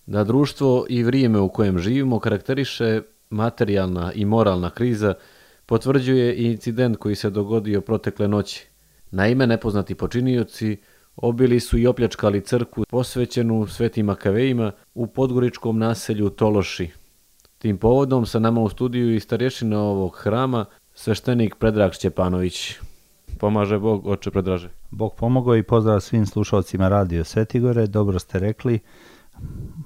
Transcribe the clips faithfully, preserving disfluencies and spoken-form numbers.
Da društvo i vrijeme u kojem živimo karakteriše materijalna i moralna kriza potvrđuje i incident koji se dogodio protekle noći. Naime, nepoznati počinioci obili su i opljačkali crkvu posvećenu Svetim Makavejima u podgoričkom naselju Tološi. Tim povodom sa nama u studiju i starješina ovog hrama, sveštenik Predrag Šćepanović. Pomaže Bog, oče Predraže. Bog pomogao i pozdrav svim slušalcima Radio Svetigore. Dobro ste rekli,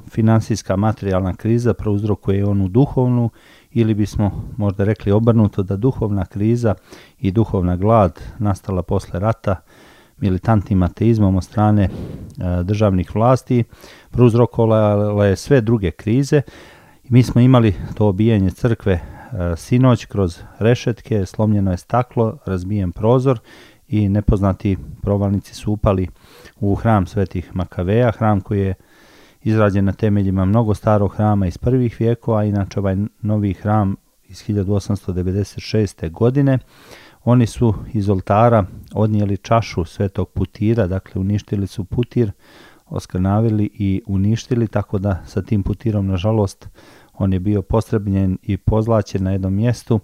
finansijska materijalna kriza prouzrokuje onu duhovnu, ili bismo možda rekli obrnuto, da duhovna kriza i duhovna glad nastala posle rata militantnim ateizmom od strane e, državnih vlasti prouzrokovala je sve druge krize. Mi smo imali to obijanje crkve e, sinoć kroz rešetke, slomljeno je staklo, razbijen prozor i nepoznati provalnici su upali u hram Svetih Makaveja, hram koji je izrađen na temeljima mnogo starog hrama iz prvih vijekova, inače ovaj novi hram iz hiljadu osamsto devedeset šeste. godine. Oni su iz oltara odnijeli čašu Svetog Putira, dakle uništili su putir, oskrnavili i uništili, tako da sa tim putirom, nažalost, on je bio postrebljen i pozlaćen na jednom mjestu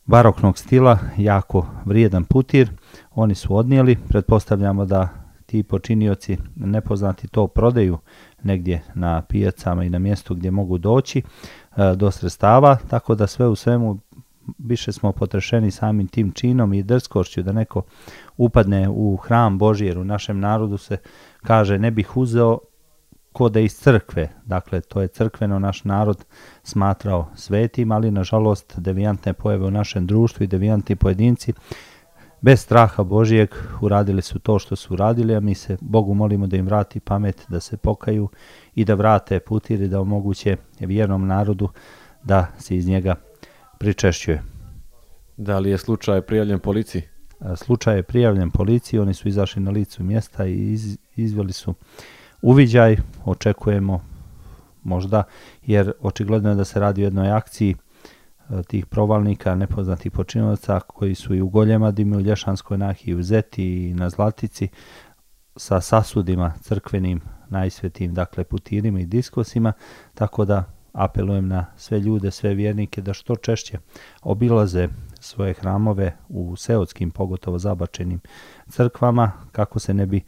baroknog stila, jako vrijedan putir. Oni su odnijeli, pretpostavljamo da ti počinioci nepoznati to prodaju negdje na pijacama i na mjestu gdje mogu doći e, do sredstava, tako da sve u svemu više smo potrešeni samim tim činom i drskošću da neko upadne u hram Božji, jer u našem narodu se kaže ne bih uzeo ko da iz crkve, dakle to je crkveno naš narod smatrao svetim, ali nažalost devijantne pojave u našem društvu i devijantni pojedinci bez straha Božijeg uradili su to što su uradili, a mi se Bogu molimo da im vrati pamet, da se pokaju i da vrate putir i da omoguće vjernom narodu da se iz njega pričešćuje. Da li je slučaj prijavljen policiji? Slučaj je prijavljen policiji, oni su izašli na licu mjesta i iz, izveli su uviđaj, očekujemo možda, jer očigledno je da se radi o jednoj akciji tih provalnika, nepoznatih počinilaca koji su i u Goljemadima, u Lješanskoj nahiji, u Zeti i na Zlatici sa sasudima crkvenim, najsvetim, dakle putirima i diskosima, tako da apelujem na sve ljude, sve vjernike da što češće obilaze svoje hramove u seoskim, pogotovo zabačenim crkvama, kako se ne bi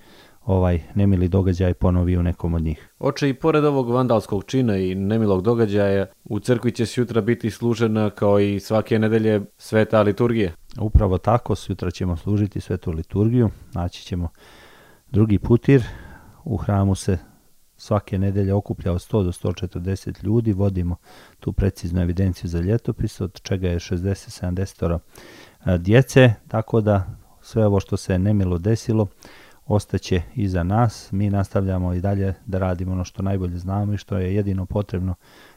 ovaj nemili događaj ponovio u nekom od njih. Oče, i pored ovog vandalskog čina i nemilog događaja, u crkvi će sutra biti služena kao i svake nedelje sveta liturgija. Upravo tako, sutra ćemo služiti svetu liturgiju, naći ćemo drugi putir. U hramu se svake nedelje okuplja od sto do sto četrdeset ljudi, vodimo tu preciznu evidenciju za ljetopis, od čega je šezdeset do sedamdeset djece, tako da sve ovo što se nemilo desilo ostaće iza nas. Mi nastavljamo i dalje da radimo ono što najbolje znamo i što je jedino potrebno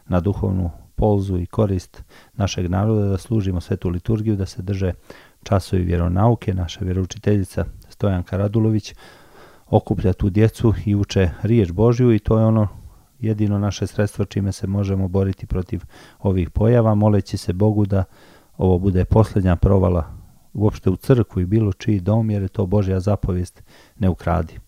na duhovnu polzu i korist našeg naroda, da služimo svetu liturgiju, da se drže časovi vjeronauke. Naša vjeroučiteljica Stojanka Radulović okuplja tu djecu i uče riječ Božju i to je ono jedino naše sredstvo čime se možemo boriti protiv ovih pojava, moleći se Bogu da ovo bude posljednja provala uopšte u crkvu i bilo čiji dom, jer je to Božja zapovijest, ne ukradi.